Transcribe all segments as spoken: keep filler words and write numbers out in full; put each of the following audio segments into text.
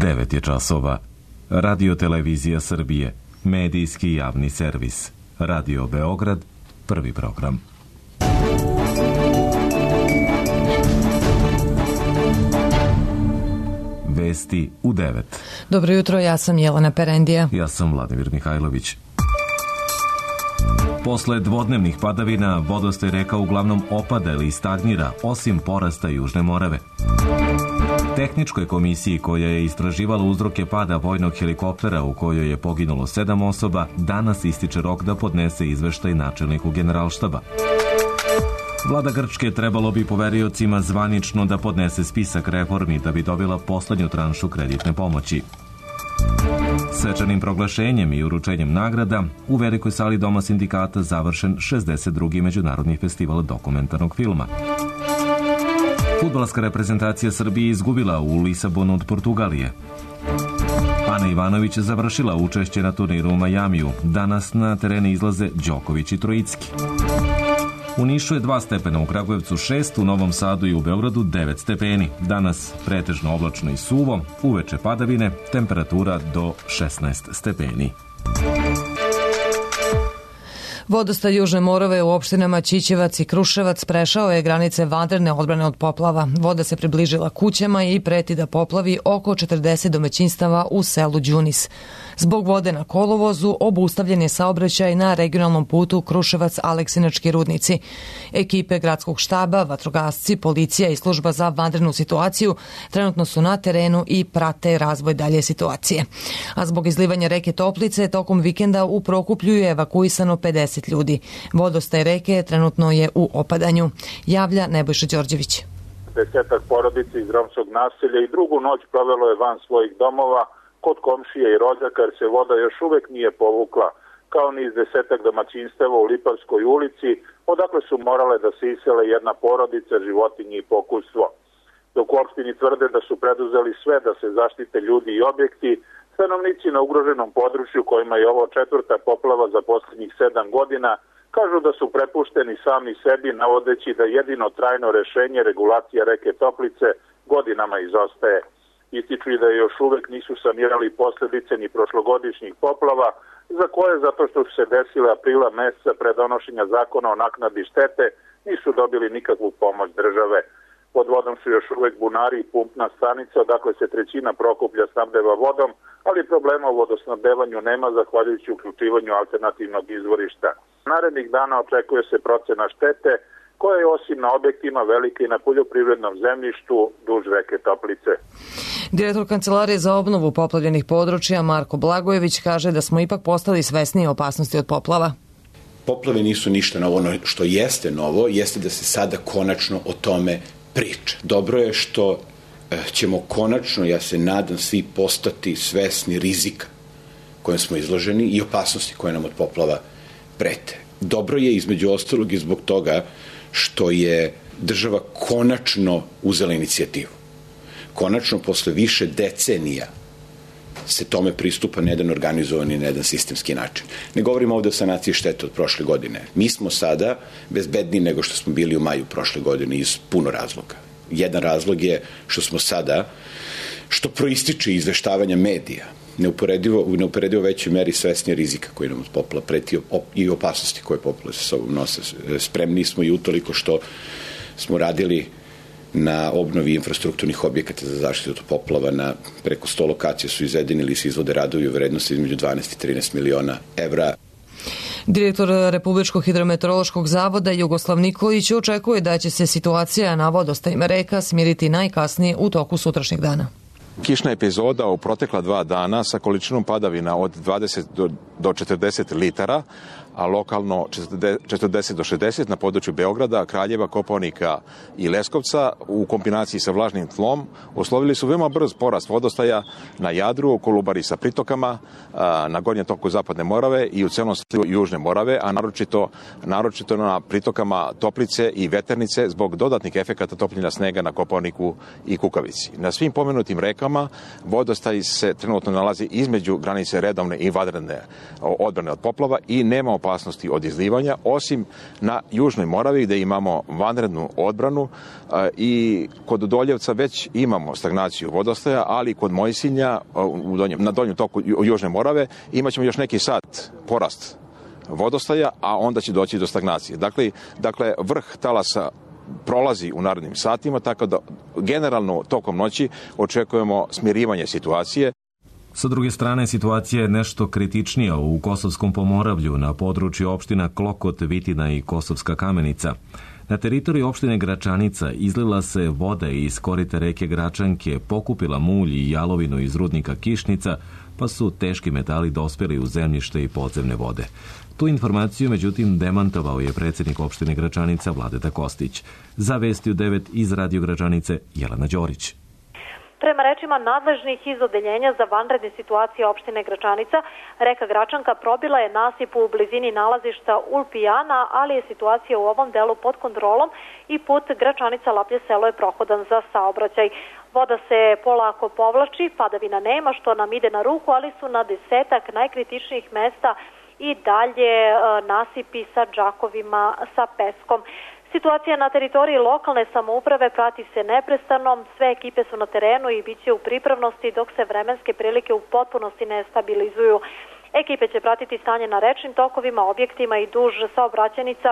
devet je časova. Radio Televizija Srbije, medijski javni servis. Radio Beograd, prvi program. Vesti u devet. Dobro jutro, ja sam Jelena Perendija. Ja sam Vladimir Mihajlović. Posle dvodnevnih padavina, vodostaj reka uglavnom opada ili stagnira, osim porasta Južne Morave. Tehničkoj komisiji koja je istraživala uzroke pada vojnog helikoptera u kojoj je poginulo sedam osoba, danas ističe rok da podnese izveštaj načelniku Generalštaba. Vlada Grčke trebalo bi poveriocima zvanično da podnese spisak reformi da bi dobila poslednju tranšu kreditne pomoći. Svečanim proglašenjem i uručenjem nagrada u velikoj sali Doma sindikata završen šezdeset drugi međunarodni festival dokumentarnog filma. Fudbalska reprezentacija Srbije izgubila u Lisabonu od Portugalije. Ana Ivanović je završila učešće na turniru u Majamiju. Danas na terene izlaze Đoković i Trojicki. U Nišu je dva stepena, u Kragujevcu šest, u Novom Sadu i u Beogradu devet stepeni. Danas pretežno oblačno i suvo, uveče padavine, temperatura do šesnaest stepeni. Vodostaj Južne Morave u opštinama Ćićevac i Kruševac prešao je granice vanredne odbrane od poplava. Voda se približila kućama i preti da poplavi oko četrdeset domaćinstava u selu Đunis. Zbog vode na kolovozu obustavljen je saobraćaj na regionalnom putu Kruševac-Aleksinački rudnici. Ekipe gradskog štaba, vatrogasci, policija i služba za vanrednu situaciju trenutno su na terenu i prate razvoj dalje situacije. A zbog izlivanja reke Toplice tokom vikenda u Prokuplju je evakuisano pedeset ljudi. Vodostaj reke trenutno je u opadanju. Javlja Nebojša Đorđević. Desetak porodica iz romskog naselja i drugu noć provelo je van svojih domova kod komšije i rođaka jer se voda još uvek nije povukla, kao ni iz desetak domaćinstava u Lipavskoj ulici, odakle su morale da se isele jedna porodica, životinje i pokućstvo. Dok u opštini tvrde da su preduzeli sve da se zaštite ljudi i objekti, stanovnici na ugroženom području kojima je ovo četvrta poplava za poslednjih sedam godina kažu da su prepušteni sami sebi, navodeći da jedino trajno rešenje regulacija reke Toplice godinama izostaje. Ističu i da još uvek nisu sanirali posledice ni prošlogodišnjih poplava, za koje, zato što su se desile aprila meseca pre donošenja zakona o naknadi štete, nisu dobili nikakvu pomoć države. Pod vodom su još uvek bunari i pumpna stanica, odakle se trećina Prokuplja snabdeva vodom, ali problema u vodosnabdevanju nema zahvaljujući uključivanju alternativnog izvorišta. Narednih dana očekuje se procena štete, koja je osim na objektima velike i na poljoprivrednom zemljištu duž reke Toplice. Direktor Kancelarije za obnovu poplavljenih područja Marko Blagojević kaže da smo ipak postali svesni opasnosti od poplava. Poplave nisu ništa novo, ono što jeste novo, jeste da se sada konačno o tome priča. Dobro je što ćemo konačno, ja se nadam, svi postati svesni rizika kojem smo izloženi i opasnosti koje nam od poplava prete. Dobro je između ostalog i zbog toga što je država konačno uzela inicijativu. Konačno, posle više decenija, se tome pristupa na jedan organizovan i na jedan sistemski način. Ne govorimo ovde o sanaciji štete od prošle godine. Mi smo sada bezbedniji nego što smo bili u maju prošle godine iz puno razloga. Jedan razlog je što smo sada, što proističe izveštavanja medija, neuporedivo, u neuporedivo većoj meri svesni rizika koji nam od poplava preti i opasnosti koje poplave sa sobom nose. Spremni smo i utoliko što smo radili na obnovi infrastrukturnih objekata za zaštitu od poplava. Na preko sto lokacija su izvedeni ili se izvode radovi u vrednosti između dvanaest i trinaest miliona evra. Direktor Republičkog hidrometeorološkog zavoda Jugoslav Nikolić očekuje da će se situacija na vodostajima reka smiriti najkasnije u toku sutrašnjeg dana. Kišna epizoda u protekla dva dana sa količinom padavina od dvadeset do četrdeset litara, a lokalno četrdeset do šezdeset na području Beograda, Kraljeva, Kopaonika i Leskovca u kombinaciji sa vlažnim tlom uslovili su veoma brz porast vodostaja na Jadru, u Kolubari sa pritokama, na gornjem toku Zapadne Morave i u celom slivu Južne Morave, a naročito, naročito na pritokama Toplice i Veternice zbog dodatnih efekata topljenja snega na Kopaoniku i Kukavici. Na svim pomenutim rekama vodostaj se trenutno nalazi između granice redovne i vanredne odbrane od poplava i nema opasnosti od izlivanja, osim na Južnoj Moravi gde imamo vanrednu odbranu i kod Doljevca već imamo stagnaciju vodostaja, ali kod Mojsinja u donjem, na donjem toku Južne Morave imat ćemo još neki sat porast vodostaja, a onda će doći do stagnacije. Dakle, dakle vrh talasa prolazi u narednim satima, tako da generalno tokom noći očekujemo smirivanje situacije. Sa druge strane, situacija je nešto kritičnija u Kosovskom Pomoravlju na području opština Klokot, Vitina i Kosovska Kamenica. Na teritoriji opštine Gračanica izlila se voda iz korita reke Gračanke, pokupila mulj i jalovinu iz rudnika Kišnica, pa su teški metali dospeli u zemljište i podzemne vode. Tu informaciju, međutim, demantovao je predsjednik opštine Gračanica Vladeta Kostić. Za Vesti u devet iz Radio Gračanice Jelena Đorić. Prema rečima nadležnih iz odeljenja za vanredne situacije opštine Gračanica, reka Gračanka probila je nasip u blizini nalazišta Ulpijana, ali je situacija u ovom delu pod kontrolom i put Gračanica-Laplje selo je prohodan za saobraćaj. Voda se polako povlači, padavina nema, što nam ide na ruku, ali su na desetak najkritičnijih mesta i dalje nasipi sa džakovima sa peskom. Situacija na teritoriji lokalne samouprave prati se neprestano, sve ekipe su na terenu i bit će u pripravnosti dok se vremenske prilike u potpunosti ne stabilizuju. Ekipe će pratiti stanje na rečnim tokovima, objektima i duž saobraćajnica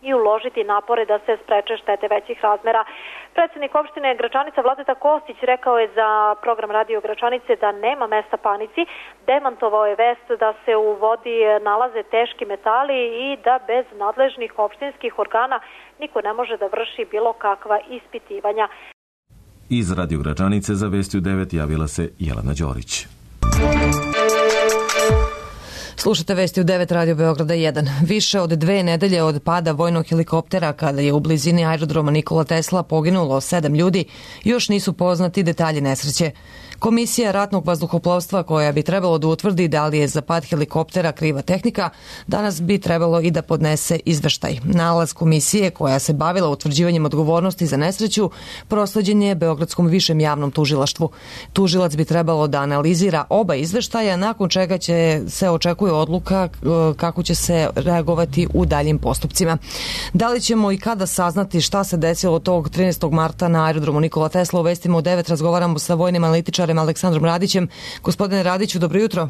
i uložiti napore da se spreče štete većih razmera. Predsjednik opštine Gračanica Vladeta Kostić rekao je za program Radio Gračanice da nema mesta panici, demantovao je vest da se u vodi nalaze teški metali i da bez nadležnih opštinskih organa niko ne može da vrši bilo kakva ispitivanja. Iz Radio Gračanice za Vesti u devet javila se Jelena Đorić. Slušate Vesti u devet Radio Beograda jedan. Više od dve nedelje od pada vojnog helikoptera kada je u blizini aerodroma Nikola Tesla poginulo sedam ljudi, još nisu poznati detalji nesreće. Komisija ratnog vazduhoplovstva koja bi trebalo da utvrdi da li je za pad helikoptera kriva tehnika, danas bi trebalo i da podnese izveštaj. Nalaz komisije koja se bavila utvrđivanjem odgovornosti za nesreću prosleđen je Beogradskom višem javnom tužilaštvu. Tužilac bi trebalo da analizira oba izveštaja, nakon čega će se očekuje odluka kako će se reagovati u daljim postupcima. Da li ćemo i kada saznati šta se desilo tog trinaestog marta na aerodromu Nikola Tesla, u Vestima u devet razgovaramo sa vojnim analitičarem Aleksandrom Radićem. Gospodine Radiću, dobro jutro.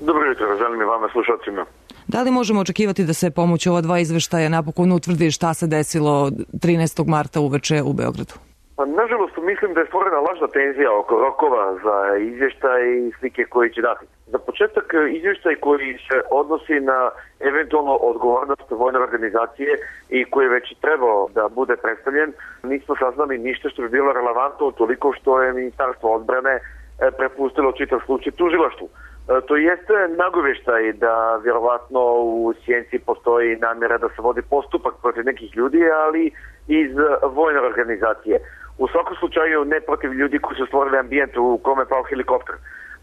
Dobro jutro, želim i vama slušalcima. Da li možemo očekivati da se pomoću ova dva izveštaja napokon utvrdi šta se desilo trinaestog marta uveče u Beogradu? Pa, nažalost, mislim da je stvorena lažna tenzija oko rokova za izvještaj i slike koji će dati. Za početak, izvještaj koji se odnosi na eventualno odgovornost vojne organizacije i koji je već trebao da bude predstavljen, nismo saznali ništa što bi bilo relevantno toliko što je Ministarstvo odbrane prepustilo čitav slučaj tužilaštvu. To jeste nagoveštaj da vjerovatno u sjenci postoji namjera da se vodi postupak protiv nekih ljudi, ali iz vojne organizacije. U svakom slučaju ne protiv ljudi koji su stvorili ambijent u kome je pao helikopter.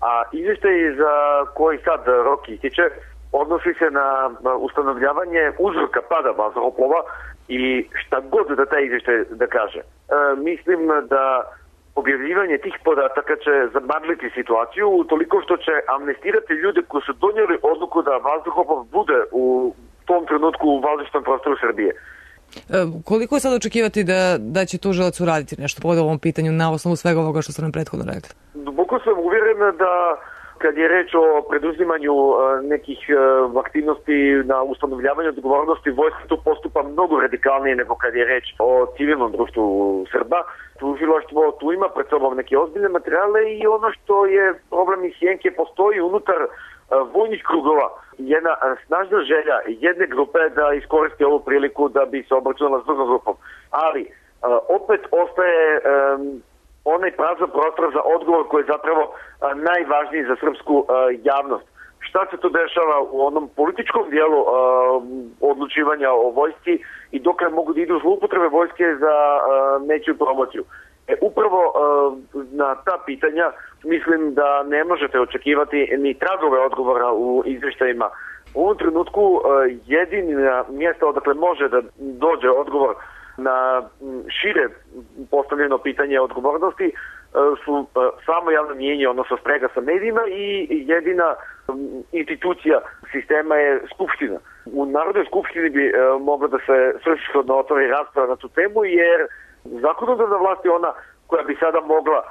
A izvještaj za koji sad rok ističe odnosi se na ustanovljavanje uzroka pada vazduhoplova i šta god da taj izvještaj da kaže. E, mislim da objavljivanje tih podataka će zamagliti situaciju utoliko što će amnestirati ljude koji su donijeli odluku da vazduhoplov bude u tom trenutku u vazdušnom prostoru Srbije. E, koliko je sad očekivati da, da će tužilac uraditi nešto po ovom pitanju na osnovu svega ovoga što ste nam prethodno rekli? Duboko sam uvjeren da kad je reč o preduzimanju nekih aktivnosti na ustanovljavanju odgovornosti, vojska tu postupa mnogo radikalnije nego kad je reč o civilnom društvu Srba. Tužilaštvo tu ima pred sobom neke ozbiljne materijale i ono što je problem iz sjenke, postoji unutar vojnih krugova jedna snažna želja jedne grupe da iskoristi ovu priliku da bi se obračunala s drugom grupom. Ali opet ostaje um, onaj prazan prostor za odgovor koji je zapravo a, najvažniji za srpsku a, javnost. Šta se to dešava u onom političkom dijelu a, odlučivanja o vojsci i dokle mogu da idu zloupotrebe vojske za a, nečiju promociju. E, upravo a, na ta pitanja mislim da ne možete očekivati ni tragove odgovora u izvještajima. U ovom trenutku a, jedina mjesta odakle može da dođe odgovor na šire postavljeno pitanje odgovornosti su samo javno mnijenje, odnosno sprega sa medijima i jedina institucija sistema je Skupština. U Narodnoj skupštini bi e, mogla da se svrsishodno otvori rasprava na tu temu, jer zakonodavna vlast je ona koja bi sada mogla e,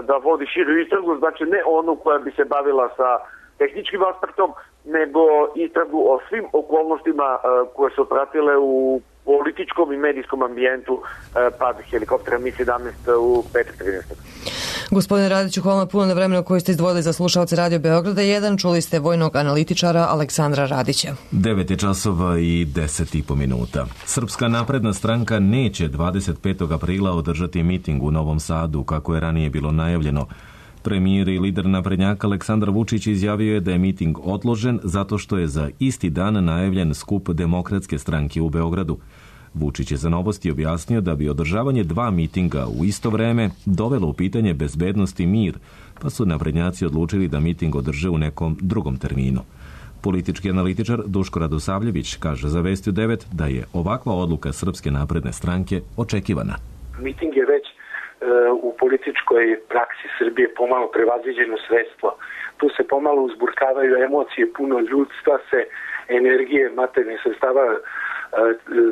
da vodi širu istragu, znači ne onu koja bi se bavila sa tehničkim aspektom, nego istragu o svim okolnostima e, koje su pratile u političkom i medijskom ambijentu e, pad helikoptera Mi sedamnaest u petak trinaestog Gospodine Radiću, hvala puno na vremenu koje ste izdvojili za slušalce Radio Beograda jedan. Čuli ste vojnog analitičara Aleksandra Radića. devet je časova i deset i po minuta. Srpska napredna stranka neće dvadeset petog aprila održati miting u Novom Sadu, kako je ranije bilo najavljeno. Premijer i lider naprednjaka Aleksandar Vučić izjavio je da je miting odložen zato što je za isti dan najavljen skup Demokratske stranke u Beogradu. Vučić je za Novosti objasnio da bi održavanje dva mitinga u isto vreme dovelo u pitanje bezbednost i mir, pa su naprednjaci odlučili da miting održe u nekom drugom terminu. Politički analitičar Duško Radosavljević kaže za Vesti u devet da je ovakva odluka Srpske napredne stranke očekivana. Miting je već e, u političkoj praksi Srbije pomalo prevaziđeno sredstvo. Tu se pomalo uzburkavaju emocije, puno ljudstva se, energije, materijalnih sredstava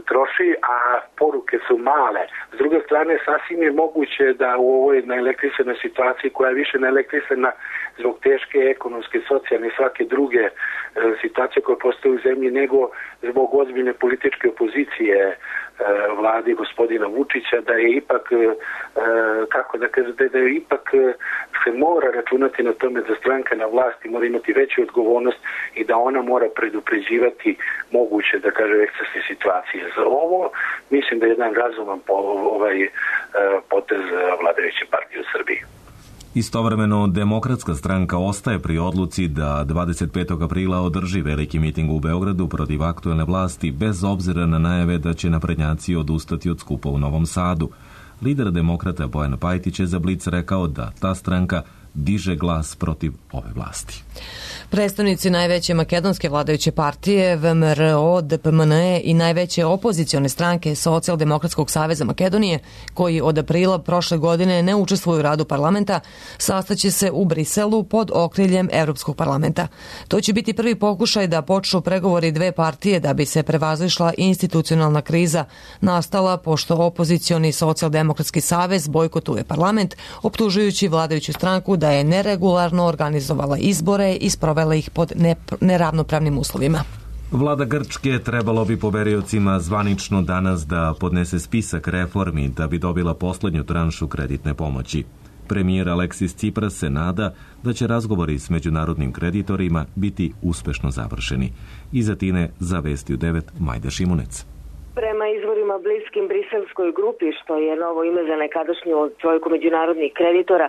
troši, a poruke su male. S druge strane, sasvim je moguće da u ovoj naelektrisanoj situaciji, koja je više naelektrisana zbog teške ekonomske, socijalne i svake druge e, situacije koje postoje u zemlji, nego zbog ozbiljne političke opozicije e, vladi gospodina Vučića, da je ipak e, kako da kaže, da je ipak se mora računati na tome da stranka na vlasti mora imati veću odgovornost i da ona mora predupređivati moguće, da kaže, ekscesne situacije. Za ovo mislim da je jedan razuman po, ovaj potez vladajuće partije u Srbiji. Istovremeno, Demokratska stranka ostaje pri odluci da dvadeset petog aprila održi veliki miting u Beogradu protiv aktuelne vlasti, bez obzira na najave da će naprednjaci odustati od skupa u Novom Sadu. Lider demokrata Bojan Pajtić je za Blic rekao da ta stranka diže glas protiv ove vlasti. Predstavnici najveće makedonske vladajuće partije V M R O, D P M N E i najveće opozicione stranke Socijaldemokratskog saveza Makedonije, koji od aprila prošle godine ne učestvuju u radu parlamenta, sastaće se u Briselu pod okriljem Evropskog parlamenta. To će biti prvi pokušaj da počnu pregovori dve partije da bi se prevazišla institucionalna kriza nastala pošto opozicioni Socijaldemokratski savez bojkotuje parlament, optužujući vladajuću stranku da je neregularno organizovala izbore i sprovela ih pod neravnopravnim uslovima. Vlada Grčke trebalo bi poveriocima zvanično danas da podnese spisak reformi da bi dobila poslednju tranšu kreditne pomoći. Premijer Aleksis Tsipras se nada da će razgovori s međunarodnim kreditorima biti uspešno završeni. Iz Atine za Vesti u devet Majda Šimunec. Prema izvorima bliskim briselskoj grupi, što je novo ime za nekadašnju trojku međunarodnih kreditora,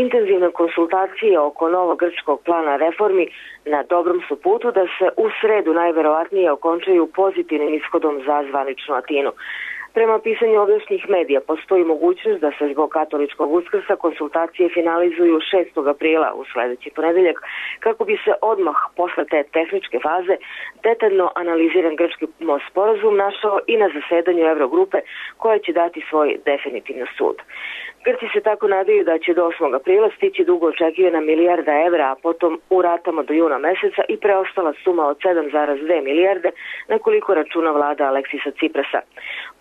intenzivne konsultacije oko novog grčkog plana reformi na dobrom su putu da se u sredu najverovatnije okončaju pozitivnim ishodom za zvaničnu Atinu. Prema pisanju ovdašnjih medija postoji mogućnost da se zbog katoličkog Uskrsa konsultacije finalizuju šestog aprila u sledeći ponedeljak, kako bi se odmah posle te tehničke faze detaljno analiziran grčki sporazum našao i na zasedanju Eurogrupe, koja će dati svoj definitivni sud. Grci se tako nadaju da će do osmog aprila stići dugo očekivana milijarda evra, a potom u ratama do juna meseca i preostala suma od sedam zarez dve milijarde na koliko računa vlada Aleksisa Tsiprasa.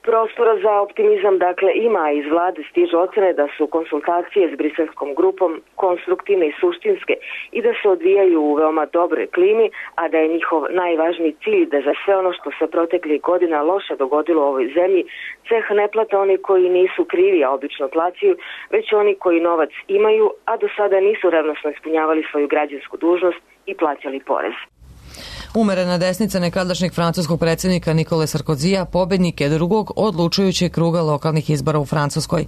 Prostora za optimizam dakle ima, a iz vlade stižu ocene da su konsultacije s briselskom grupom konstruktivne i suštinske i da se odvijaju u veoma dobroj klimi, a da je njihov najvažniji cilj da za sve ono što se proteklih godina loše dogodilo u ovoj zemlji ceh ne plate oni koji nisu krivi, a obično plaćaju, već oni koji novac imaju, a do sada nisu revnosno ispunjavali svoju građansku dužnost i plaćali porez. Umerena desnica nekadašnjeg francuskog predsjednika Nikole Sarkozija pobednik je drugog odlučujućeg kruga lokalnih izbora u Francuskoj.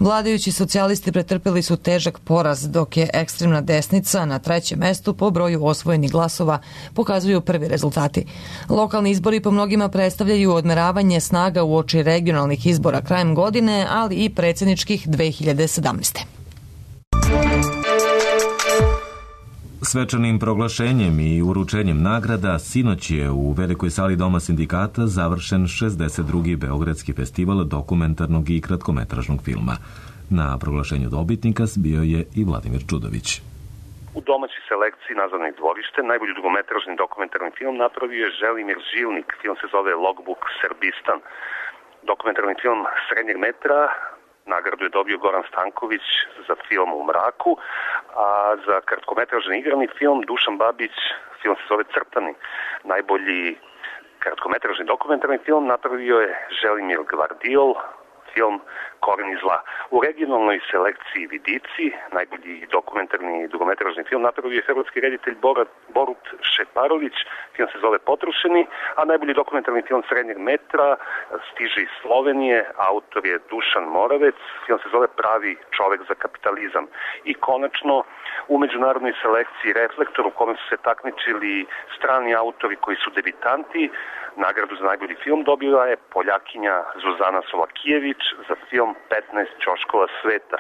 Vladajući socijalisti pretrpeli su težak poraz, dok je ekstremna desnica na trećem mestu po broju osvojenih glasova, pokazuju prvi rezultati. Lokalni izbori po mnogima predstavljaju odmeravanje snaga uoči regionalnih izbora krajem godine, ali i predsjedničkih dve hiljade sedamnaeste. Svečanim proglašenjem i uručenjem nagrada sinoć je u velikoj sali Doma sindikata završen šezdeset drugi Beogradski festival dokumentarnog i kratkometražnog filma. Na proglašenju dobitnika bio je i Vladimir Čudović. U domaćoj selekciji nazvanoj Dvorište najbolji dugometražni dokumentarni film napravio je Želimir Žilnik. Film se zove Logbook Srbistan. Dokumentarni film srednjeg metra, nagradu je dobio Goran Stanković za film U mraku, a za kratkometražni igrani film Dušan Babić, film se zove Crtani. Najbolji kratkometražni dokumentarni film napravio je Želimir Gvardiol, film Koreni zla. U regionalnoj selekciji Vidici, najbolji dokumentarni dugometražni film napravio je hrvatski reditelj Borut Šeparović, film se zove Potrošeni, a najbolji dokumentarni film srednjeg metra stiže iz Slovenije, autor je Dušan Moravec, film se zove Pravi čovek za kapitalizam. I konačno, u međunarodnoj selekciji Reflektor, u kome su se takmičili strani autori koji su debitanti, nagradu za najbolji film dobila je Poljakinja Zuzana Solakijević za film petnaest ćoškova sveta.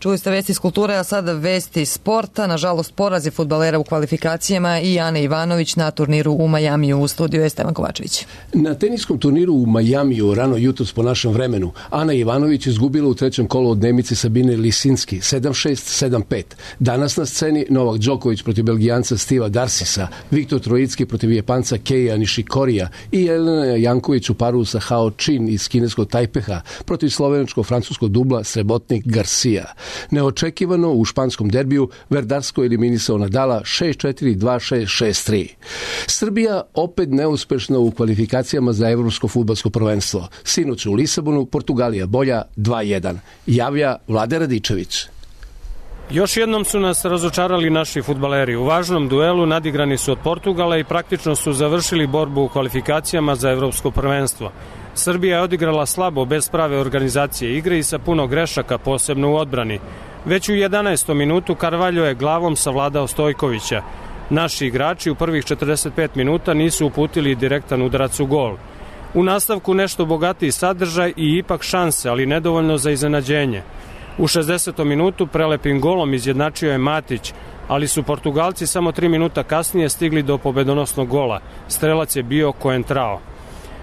Čuli ste vesti iz kulture, a sada vesti sporta. Nažalost, porazi fudbalera u kvalifikacijama i Ane Ivanović na turniru u Majamiju. U studiju je Stevan Kovačević. Na teniskom turniru u Majamiju rano jutros po našem vremenu Ana Ivanović izgubila u trećem kolu od Nemice Sabine Lisinski sedam šest sedam pet. Danas na sceni Novak Đoković protiv Belgijanca Stiva Darsisa, Viktor Trojicki protiv Japanca Keija Nishikorija i Jelena Janković u paru sa Hao Chin iz kineskog Tajpeha protiv slovenačko-francuskog dubla Srebotnik Garcia. Neočekivano u španskom derbiju Verdarsko eliminisao Nadala šest četiri dva šest šest tri. Srbija opet neuspešna u kvalifikacijama za evropsko fudbalsko prvenstvo. Sinoć u Lisabonu Portugalija bolja dva jedan. Javlja Vlade Radičević. Još jednom su nas razočarali naši fudbaleri. U važnom duelu nadigrani su od Portugala i praktično su završili borbu u kvalifikacijama za evropsko prvenstvo. Srbija je odigrala slabo, bez prave organizacije igre i sa puno grešaka, posebno u odbrani. Već u jedanaestom minutu Carvalho je glavom savladao Stojkovića. Naši igrači u prvih četrdeset pet minuta nisu uputili direktan udarac u gol. U nastavku nešto bogatiji sadržaj i ipak šanse, ali nedovoljno za iznenađenje. U šezdesetom minutu prelepim golom izjednačio je Matić, ali su Portugalci samo tri minuta kasnije stigli do pobedonosnog gola. Strelac je bio Coentrao.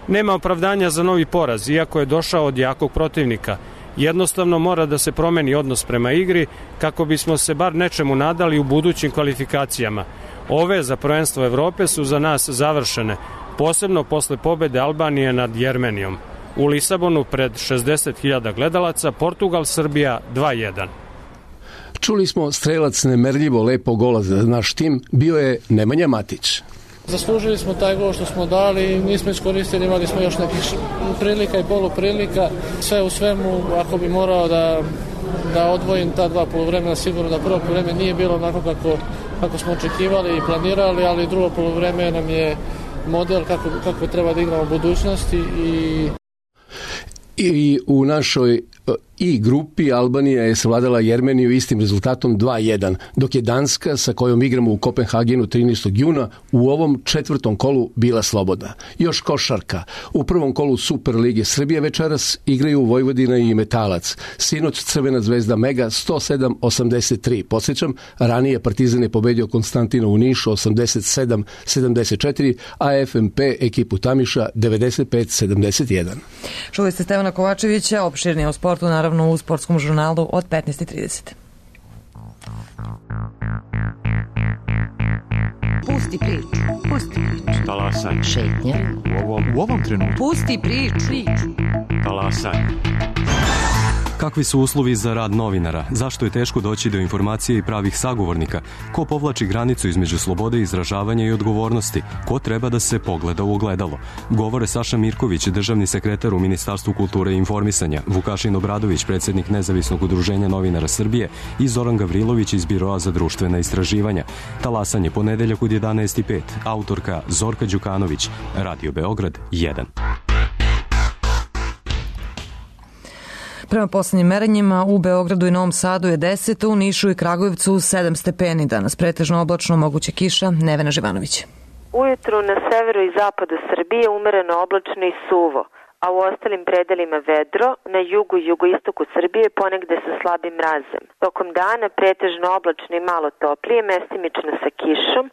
Nema opravdanja za novi poraz, iako je došao od jakog protivnika. Jednostavno mora da se promeni odnos prema igri kako bismo se bar nečemu nadali u budućim kvalifikacijama. Ove za prvenstvo Evrope su za nas završene, posebno posle pobede Albanije nad Jermenijom. U Lisabonu pred šezdeset hiljada gledalaca Portugal-Srbija dva jedan. Čuli smo strelac nemerljivo lepo gola za naš tim, bio je Nemanja Matić. Zaslužili smo taj gol što smo dali, nismo iskoristili, imali smo još nekih prilika i poluprilika. Sve u svemu, ako bi morao da, da odvojim ta dva poluvremena, sigurno da prvo poluvreme nije bilo onako kako, kako smo očekivali i planirali, ali drugo poluvreme nam je model kako, kako treba da igramo u budućnosti. I... I u našoj I grupi Albanija je savladala Jermeniju istim rezultatom dva jedan, dok je Danska, sa kojom igramo u Kopenhagenu trinaestog juna, u ovom četvrtom kolu bila slobodna. Još košarka. U prvom kolu Super lige Srbije večeras igraju Vojvodina i Metalac. Sinoć Crvena zvezda Mega sto sedam osamdeset tri. Podsjećam, ranije Partizan je pobedio Konstantina u Nišu osamdeset sedam sedamdeset četiri, a F M P ekipu Tamiša devedeset pet sedamdeset jedan. Čuli ste Stevana Kovačevića, opširnije o sportu, naravno u sportskom žurnalu od petnaest i trideset. Pusti priču, pusti priču. Talasaj. Šetnja. U ovom, u ovom trenutku. Pusti priču. Talasaj. Kakvi su uslovi za rad novinara? Zašto je teško doći do informacije i pravih sagovornika? Ko povlači granicu između slobode izražavanja i odgovornosti? Ko treba da se pogleda u ogledalo? Govore Saša Mirković, državni sekretar u Ministarstvu kulture i informisanja, Vukašin Obradović, predsjednik Nezavisnog udruženja novinara Srbije i Zoran Gavrilović iz Biroa za društvena istraživanja. Talasanje ponedeljak od jedanaest i pet. Autorka Zorka Đukanović. Radio Beograd jedan. Prema poslednjim merenjima u Beogradu i Novom Sadu je deset, u Nišu i Kragujevcu sedam stepeni. Danas pretežno oblačno, moguće kiša. Nevena Živanović. Ujutru na severu i zapadu Srbije umereno oblačno i suvo, a u ostalim predelima vedro, na jugu i jugoistoku Srbije ponegde sa slabim mrazem. Tokom dana pretežno oblačno i malo toplije, mestimično sa kišom,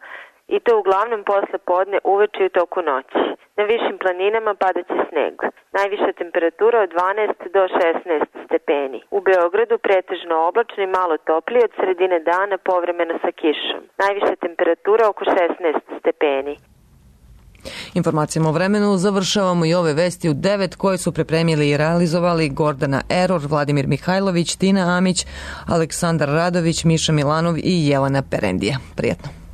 i to uglavnom posle podne, uveče i u toku noći. Na višim planinama padaće sneg. Najviša temperatura od dvanaest do šesnaest stepeni. U Beogradu pretežno oblačno i malo toplije, od sredine dana povremeno sa kišom. Najviša temperatura oko šesnaest stepeni. Informacijama o vremenu završavamo i ove vesti u devet koje su pripremili i realizovali Gordana Eror, Vladimir Mihajlović, Tina Amić, Aleksandar Radović, Miša Milanov i Jelena Perendija. Prijetno.